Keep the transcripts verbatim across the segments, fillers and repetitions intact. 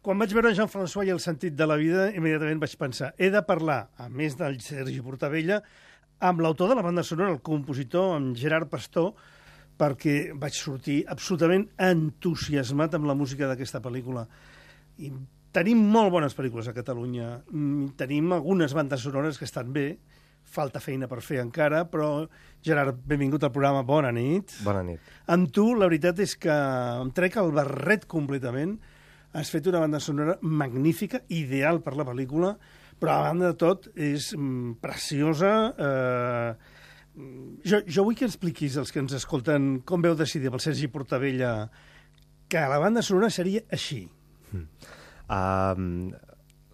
Quan vaig veure Jean-François i el sentit de la vida, immediatament vaig pensar, he de parlar, a més del Sergi Portabella, amb l'autor de la banda sonora, el compositor, amb Gerard Pastor, perquè vaig sortir absolutament entusiasmat amb la música d'aquesta pel·lícula. I tenim molt bones pel·lícules a Catalunya. Tenim algunes bandes sonores que estan bé, falta feina per fer encara, però, Gerard, benvingut al programa, bona nit. Bona nit. Amb tu, la veritat és que em trec el barret completament. Has fet una banda sonora magnífica, ideal per la pel·lícula, però a banda de tot és mm, preciosa. Eh, jo, jo vull que expliquis als que ens escolten com veu decidir pel Sergi Portabella que la banda sonora seria així. Mm. Um,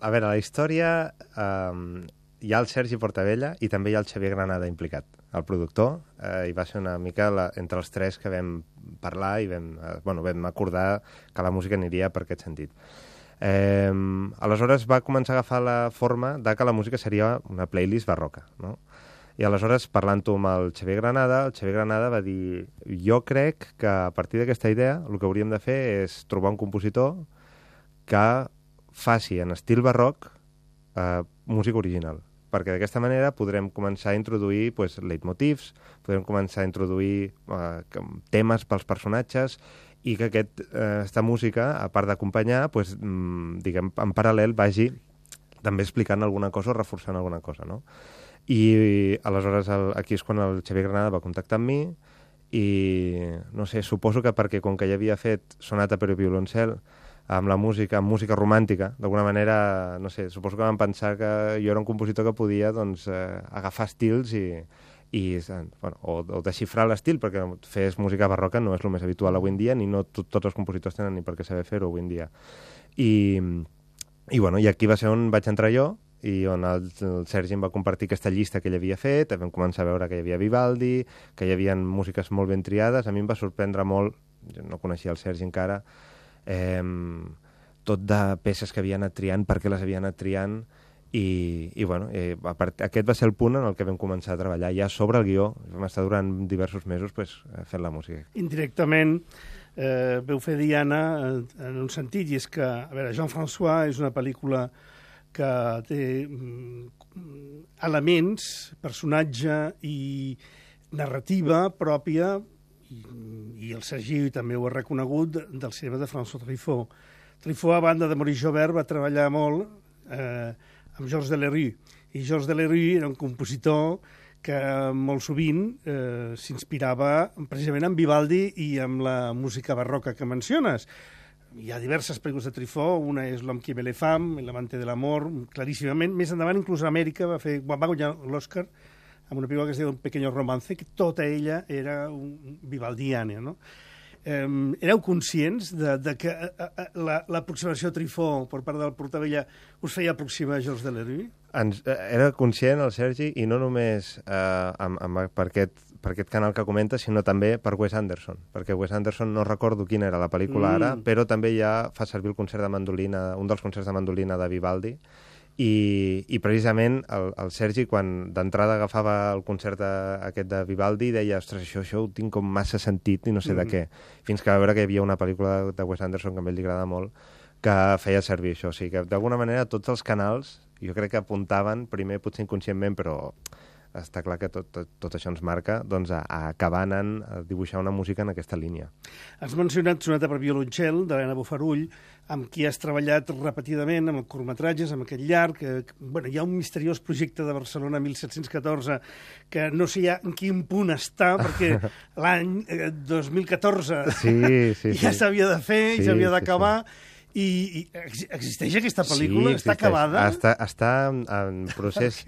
a veure, la història... Um, hi ha el Sergi Portabella i també hi ha el Xavier Granada implicat, el productor, eh, i va ser una mica la, entre els tres que vam parlar i vam, eh, bueno, vam acordar que la música aniria per aquest sentit. Eh, aleshores va començar a agafar la forma de que la música seria una playlist barroca, no? I aleshores, parlant-ho amb el Xavier Granada, el Xavier Granada va dir jo crec que a partir d'aquesta idea el que hauríem de fer és trobar un compositor que faci en estil barroc eh, música original, perquè d'aquesta manera podrem començar a introduir pues, leitmotivs, podrem començar a introduir eh, temes pels personatges i que aquest, eh, esta música, a part d'acompanyar, pues, mm, diguem, en paral·lel vagi també explicant alguna cosa o reforçant alguna cosa, no? I aleshores el, aquí és quan el Xavier Granada va contactar amb mi i, no sé, suposo que perquè com que ja havia fet Sonata per a violoncel amb la música, amb música romàntica, d'alguna manera, no sé, suposo que van pensar que jo era un compositor que podia, doncs, eh, agafar estils i, i bueno, o, o desxifrar l'estil, perquè fer música barroca no és el més habitual avui en dia, ni no tot, tots els compositors tenen ni per què saber fer-ho avui en dia. I, i, bueno, i aquí va ser on vaig entrar jo, i on el, el Sergi em va compartir aquesta llista que ell havia fet, vam començar a veure que hi havia Vivaldi, que hi havia músiques molt ben triades, a mi em va sorprendre molt, jo no coneixia el Sergi encara, Eh, tot de peces que havia anat triant, per què les havia anat triant i, i bueno, eh, a part, aquest va ser el punt en el que vam començar a treballar ja sobre el guió, vam estar durant diversos mesos pues, fent la música. Indirectament eh, veu fer Diana en, en un sentit, i és que, a veure, Jean-François és una pel·lícula que té mm, elements, personatge i narrativa pròpia. I, i el Sergi també ho ha reconegut, del cinema de François Truffaut. Truffaut, a banda de Maurice Jaubert, va treballar molt eh, amb Georges Delerue, i Georges Delerue era un compositor que molt sovint eh, s'inspirava precisament en Vivaldi i amb la música barroca que menciones. Hi ha diverses pel·lícules de Truffaut, una és L'homme qui aimait les femmes, L'amante de l'amor, claríssimament. Més endavant, inclús a Amèrica, va fer, va guanyar l'Oscar amb una pel·lícula que es diu Un pequeño romance, que tota ella era un vivaldiana, no? Eh, éreu conscients de, de que l'aproximació la, a Truffaut per part del Portabella us feia aproximar a Georges Delerue? Ens, eh, era conscient el Sergi, i no només eh, amb, amb, per, aquest, per aquest canal que comenta, sinó també per Wes Anderson, perquè Wes Anderson no recordo quina era la pel·lícula mm. ara, però també ja fa servir el concert de mandolina, un dels concerts de mandolina de Vivaldi. I, i precisament el, el Sergi, quan d'entrada agafava el concert de, aquest de Vivaldi, deia, ostres, això, això ho tinc com massa sentit i no sé mm. de què. Fins que va veure que hi havia una pel·lícula de Wes Anderson que a ell li agrada molt, que feia servir això. O sigui que, d'alguna manera, tots els canals, jo crec que apuntaven, primer potser inconscientment, però està clar que tot, tot, tot això ens marca, doncs a, a acabar anant a dibuixar una música en aquesta línia. Has mencionat Sonata per violoncel, d'Helena Bofarull, amb qui has treballat repetidament, amb curtmetratges, amb aquest llarg. Que, bueno, hi ha un misteriós projecte de Barcelona mil set-cents catorze que no sé ja en quin punt està, perquè l'any eh, dos mil catorze sí, sí, ja s'havia de fer, sí, i s'havia sí, d'acabar. Sí. I, I existeix aquesta pel·lícula? Sí, està acabada? Està, està en procés...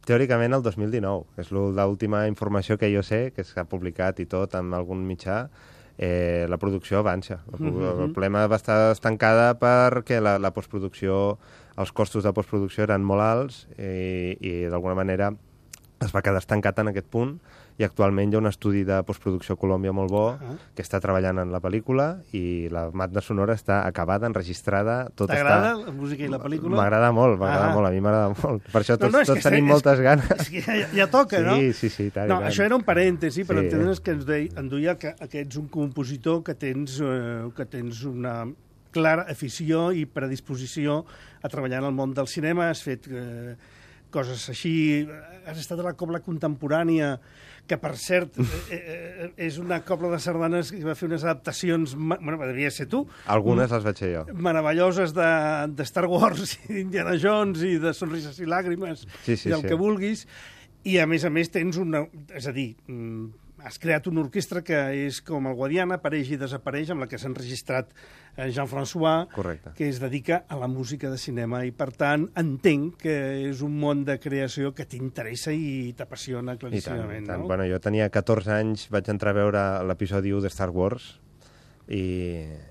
Teòricament el dos mil dinou, és l'última informació que jo sé, que s'ha publicat i tot en algun mitjà, eh, la producció avança. El, mm-hmm. el problema va estar estancada perquè la, la postproducció, els costos de postproducció eren molt alts i, i d'alguna manera es va quedar estancat en aquest punt, i actualment hi ha un estudi de postproducció a Colòmbia molt bo, uh -huh. que està treballant en la pel·lícula, i la banda sonora està acabada, enregistrada, tot està... T'agrada la música i la pel·lícula? M'agrada molt, m'agrada molt, a mi m'agrada molt. Per això tots, no, no, tots tenim és, moltes ganes. És que ja, ja toca, sí, no? Sí, sí, sí. Tant, no, tant. Això era un parèntesi, per sí. entendre's que ens deia, en duia que, que ets un compositor, que tens, eh, que tens una clara afició i predisposició a treballar en el món del cinema. Has fet eh, coses així, has estat a la Cobla Contemporània, que, per cert, eh, eh, és una cobla de sardanes que va fer unes adaptacions, bueno, devia ser tu. Algunes les vaig fer jo. Meravelloses de, de Star Wars, i d'Indiana Jones, i de Sonrises i Làgrimes, sí, sí, i del sí. que vulguis. I, a més a més, tens una... És a dir, has creat una orquestra que és com el Guadiana, apareix i desapareix, amb la que s'ha enregistrat Jean-François, Correcte. Que es dedica a la música de cinema, i per tant entenc que és un món de creació que t'interessa i t'apassiona claríssimament. I tant, i tant. No? Bueno, jo tenia catorze anys, vaig entrar a veure l'episodi u de Star Wars i,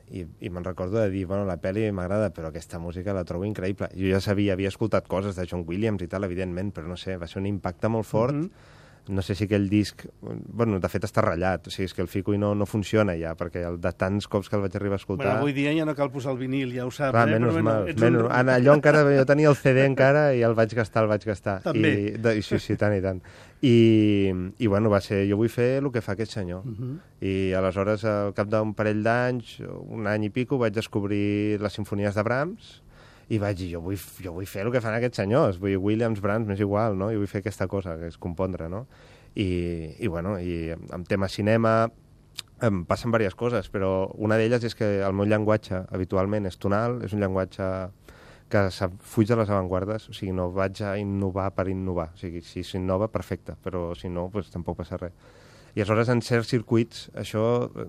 i, i me'n recordo de dir, bueno, la pel·li m'agrada, però aquesta música la trobo increïble. Jo ja sabia, havia escoltat coses de John Williams i tal, evidentment, però no sé, va ser un impacte molt fort. Mm-hmm. No sé si aquell disc... Bueno, de fet està ratllat, o sigui, és que el fico i no, no funciona ja, perquè el, de tants cops que el vaig arribar a escoltar... Bueno, avui dia ja no cal posar el vinil, ja ho saps. Ah, eh? menys Però, mal. bueno, Menys, un... Allò encara... Jo tenia el C D encara i el vaig gastar, el vaig gastar. També. I, de, sí, sí, tant i tant. I, i bueno, va ser... Jo vull fer el que fa aquest senyor. Uh-huh. I aleshores, al cap d'un parell d'anys, un any i pico, vaig descobrir les simfonies de Brahms i vaig dir, jo vull, jo vull fer el que fan aquests senyors. Vull Williams, Brahms, m'és igual, no? Jo vull fer aquesta cosa, que és compondre, no? I, i bueno, i en tema cinema em passen diverses coses, però una d'elles és que el meu llenguatge habitualment és tonal, és un llenguatge que fuig de les avantguardes, o sigui, no vaig a innovar per innovar, o sigui, si s'innova, perfecte, però si no, pues, tampoc passa res. I aleshores en certs circuits això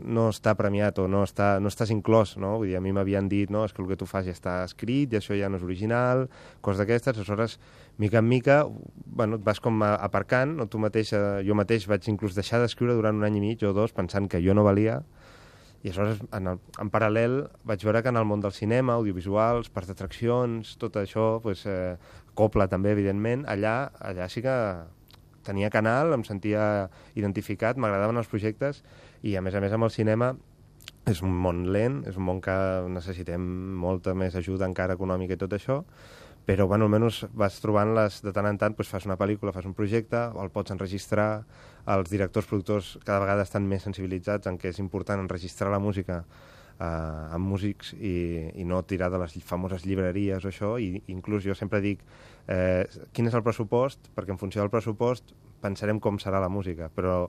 no està premiat o no, està, no estàs inclòs, no? Vull dir, a mi m'havien dit, no, és que el que tu fas ja està escrit i això ja no és original, coses d'aquestes, aleshores, mica en mica, bueno, et vas com aparcant, o tu mateix, jo mateix vaig inclús deixar d'escriure durant un any i mig o dos pensant que jo no valia, i aleshores, en, el, en paral·lel, vaig veure que en el món del cinema, audiovisuals, parcs d'atraccions, tot això, pues, eh, Copla també, evidentment, allà, allà sí que tenia canal, em sentia identificat, m'agradaven els projectes, i a més a més amb el cinema és un món lent, és un món que necessitem molta més ajuda encara econòmica i tot això, però bueno, almenys vas trobant-les de tant en tant, doncs fas una pel·lícula, fas un projecte, el pots enregistrar, els directors, productors cada vegada estan més sensibilitzats en què és important enregistrar la música eh, amb músics i, i no tirar de les famoses llibreries o això, i inclús jo sempre dic eh, quin és el pressupost, perquè en funció del pressupost pensarem com serà la música, però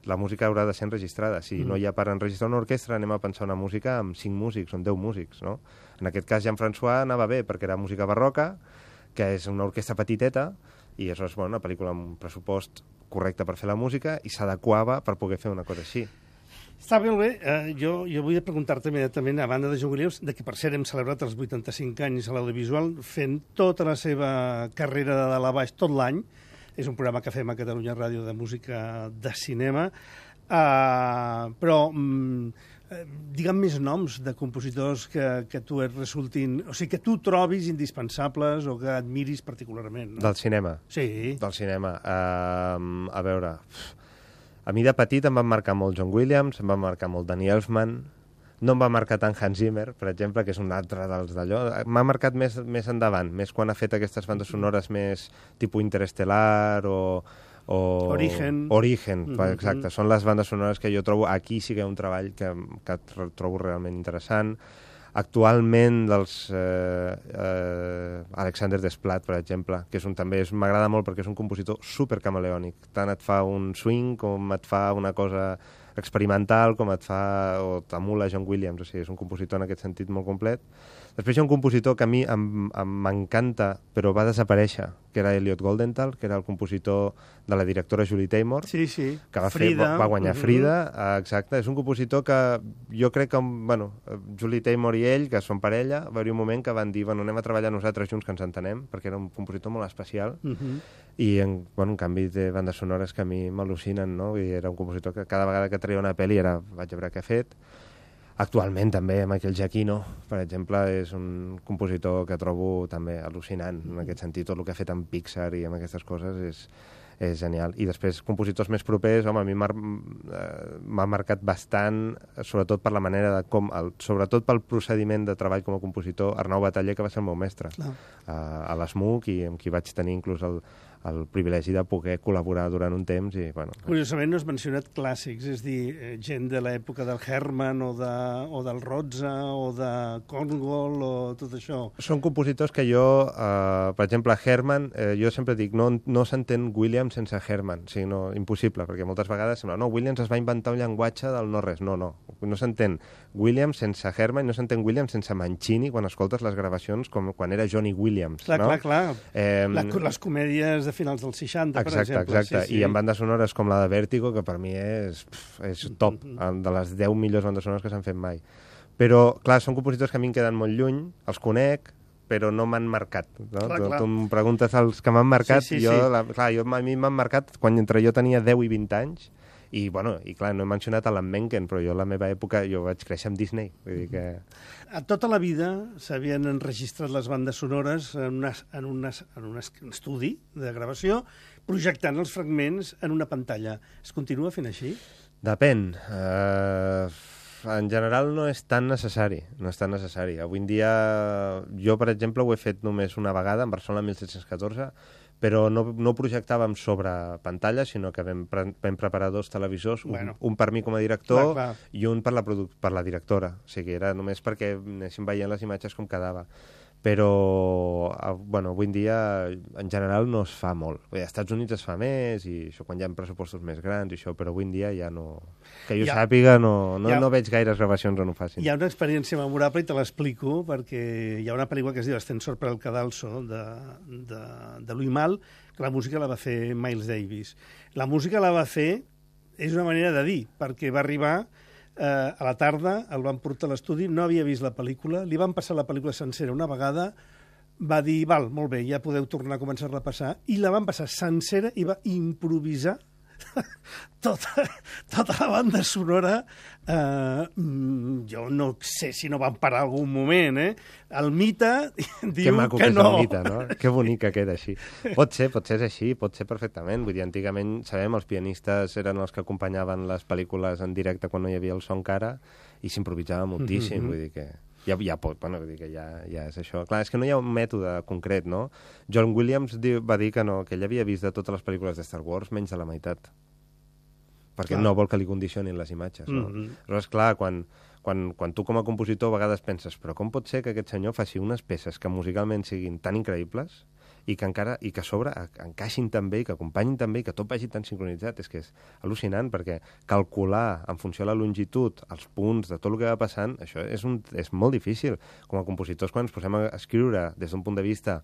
la música haurà de ser enregistrada. Si mm. no hi ha per enregistrar una orquestra, anem a pensar una música amb cinc músics o amb deu músics, no? En aquest cas, Jean-François anava bé perquè era música barroca, que és una orquestra petiteta, i això és bueno, una pel·lícula amb un pressupost correcte per fer la música i s'adequava per poder fer una cosa així. Està molt bé. Uh, jo, jo vull preguntar-te immediatament, a banda de John Williams, de que per cert hem celebrat els vuitanta-cinc anys a l'audiovisual, fent tota la seva carrera de dalt a baix tot l'any. És un programa que fem a Catalunya Ràdio de música de cinema. Uh, però, um, digue'm més noms de compositors que, que tu et resultin... O sigui, que tu trobis indispensables o que admiris particularment. No? Del cinema? Sí. Del cinema. Uh, a veure... A mi de petit em van marcar molt John Williams, em van marcar molt Danny Elfman, no em va marcar tant Hans Zimmer, per exemple, que és un altre dels d'allò. M'ha marcat més, més endavant, més quan ha fet aquestes bandes sonores més tipus Interestelar o... o... Origen. Origen, Mm-hmm. exacte. Són les bandes sonores que jo trobo... Aquí sí que hi ha un treball que, que trobo realment interessant. Actualment, dels eh, eh, Alexander Desplat, per exemple, que és un, també m'agrada molt perquè és un compositor supercamaleònic. Tant et fa un swing com et fa una cosa experimental, com et fa o t'emula John Williams, o sigui, és un compositor en aquest sentit molt complet. Després hi ha un compositor que a mi m'encanta, però va desaparèixer, que era Elliot Goldenthal, que era el compositor de la directora Julie Taymor, sí, sí. que va, Frida. fer, va, va guanyar Mm-hmm. Frida, eh, exacte. És un compositor que jo crec que, bueno, Julie Taymor i ell, que són parella, va haver un moment que van dir, bueno, anem a treballar nosaltres junts que ens entenem, perquè era un compositor molt especial, Mm-hmm. i en, bueno, en canvi té bandes sonores que a mi m'al·lucinen, no? I era un compositor que cada vegada que treia una pel·li era, vaig a veure què ha fet. Actualment també Michael Giacchino, per exemple, és un compositor que trobo també al·lucinant, en aquest sentit, tot el que ha fet amb Pixar i amb aquestes coses és, és genial. I després, compositors més propers, home, a mi m'ha marcat bastant, sobretot per la manera de com, el, sobretot pel procediment de treball com a compositor, Arnau Bataller, que va ser el meu mestre, a, a l'Smook, i amb qui vaig tenir inclús el, el privilegi de poder col·laborar durant un temps i, bueno... Curiosament no has mencionat clàssics, és dir, gent de l'època del Herman o, de, o del Rozza o de Korngold o tot això. Són compositors que jo, eh, per exemple, Herman, eh, jo sempre dic, no, no s'entén Williams sense Herman, o sigui, no, impossible, perquè moltes vegades sembla, no, Williams es va inventar un llenguatge del no-res, no, no, no s'entén Williams sense Herman, no s'entén Williams sense Mancini quan escoltes les gravacions com quan era Johnny Williams. Clar, no? clar, clar. Eh, la, les comèdies de finals dels seixanta, exacte, per exemple. Exacte, sí, sí. I en bandes sonores com la de Vértigo, que per mi és, és top, mm-hmm. de les deu millors bandes sonores que s'han fet mai. Però, clar, són compositors que a mi em queden molt lluny, els conec, però no m'han marcat. No? Clar, tu, clar. tu em preguntes els que m'han marcat, sí, sí, jo, sí. La, clar, jo, a mi m'han marcat quan entre jo tenia deu i vint anys, i, bueno, i clar, no he mencionat Alan Menken, però jo a la meva època, jo vaig créixer amb Disney. Vull dir que... A tota la vida s'havien enregistrat les bandes sonores en, una, en, una, en un estudi de gravació, projectant els fragments en una pantalla. Es continua fent així? Depèn. Uh, en general no és tan necessari. No és tan necessari. Avui en dia, jo, per exemple, ho he fet només una vegada, en Barcelona mil set-cents catorze, però no, no projectàvem sobre pantalla, sinó que vam, pre vam preparar dos televisors, bueno. un, un per mi com a director clar, clar. i un per la, per la directora. O sigui, era només perquè anéssim veient les imatges com quedava. Però, bueno, avui en dia, en general, no es fa molt. Bé, als Estats Units es fa més, i això quan hi ha pressupostos més grans, i això, però avui en dia ja no... Que jo ha, sàpiga, no, no, ha, no veig gaires gravacions on ho facin. Hi ha una experiència memorable, i te l'explico, perquè hi ha una pel·lícula que es diu Ascensor per el cadalso, de, de, de Louis Malle, que la música la va fer Miles Davis. La música la va fer, és una manera de dir, perquè va arribar... Eh, a la tarda, el van portar a l'estudi, no havia vist la pel·lícula, li van passar la pel·lícula sencera una vegada, va dir, val, molt bé, ja podeu tornar a començar-la a passar, i la van passar sencera i va improvisar tota, tota la banda sonora. Eh, jo no sé si no van parar algun moment, eh? El Mita diu que no. Que és el Mita, no? Que bonic que queda així. Pot ser, pot ser així, pot ser perfectament. Vull dir, antigament, sabem, els pianistes eren els que acompanyaven les pel·lícules en directe quan no hi havia el so encara, i s'improvisava moltíssim, mm-hmm. vull dir que... Ja, ja pot, bueno, vull dir que ja, ja és això. Clar, és que no hi ha un mètode concret, no? John Williams diu, va dir que no, que ell havia vist de totes les pel·lícules de Star Wars menys de la meitat. Perquè clar. No vol que li condicionin les imatges, no? Mm-hmm. Però és clar, quan, quan, quan tu com a compositor a vegades penses, però com pot ser que aquest senyor faci unes peces que musicalment siguin tan increïbles i que encara i que a sobre encaixin tan bé i que acompanyin tan bé i que tot vagi tan sincronitzat? És que és al·lucinant, perquè calcular en funció de la longitud els punts de tot el que va passant, això és, un, és molt difícil. Com a compositors, quan ens posem a escriure des d'un punt de vista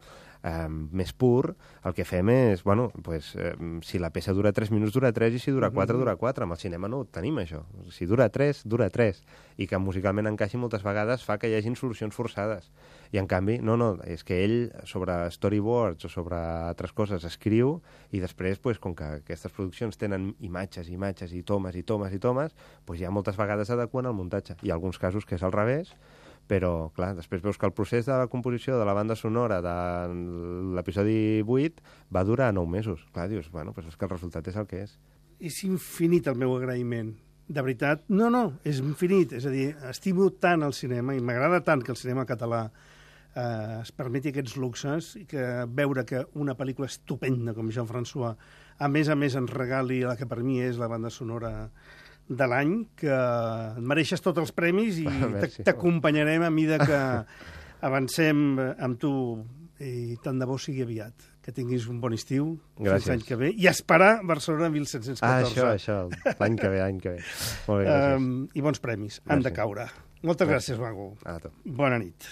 eh, més pur, el que fem és, bueno, pues, eh, si la peça dura tres minuts, dura tres, i si dura quatre, dura quatre. Amb el cinema no ho tenim, això. Si dura tres, dura tres. I que musicalment encaixi moltes vegades fa que hi hagin solucions forçades. I en canvi, no, no, és que ell sobre storyboards o sobre altres coses escriu, i després, pues, com que aquestes produccions tenen imatges, imatges i tomes i tomes i tomes, pues ja moltes vegades adequen al muntatge. Hi ha alguns casos que és al revés, però, clar, després veus que el procés de la composició de la banda sonora de l'episodi vuit va durar nou mesos. Clar, dius, bueno, pues és que el resultat és el que és. És infinit el meu agraïment. De veritat, no, no, és infinit. És a dir, estimo tant el cinema i m'agrada tant que el cinema català eh, es permeti aquests luxes i que veure que una pel·lícula estupenda com Jean-François, a més a més ens regali la que per mi és la banda sonora de l'any, que et mereixes tots els premis i t'acompanyarem a mida que avancem amb tu, i tant de bo sigui aviat. Que tinguis un bon estiu, fins l'any que ve, i esperar Barcelona mil set-cents catorze. Ah, això, això, l'any que ve, l'any que ve. Molt bé, gràcies. Um, I bons premis, han de caure. Moltes gràcies, Mago. A tu. Bona nit.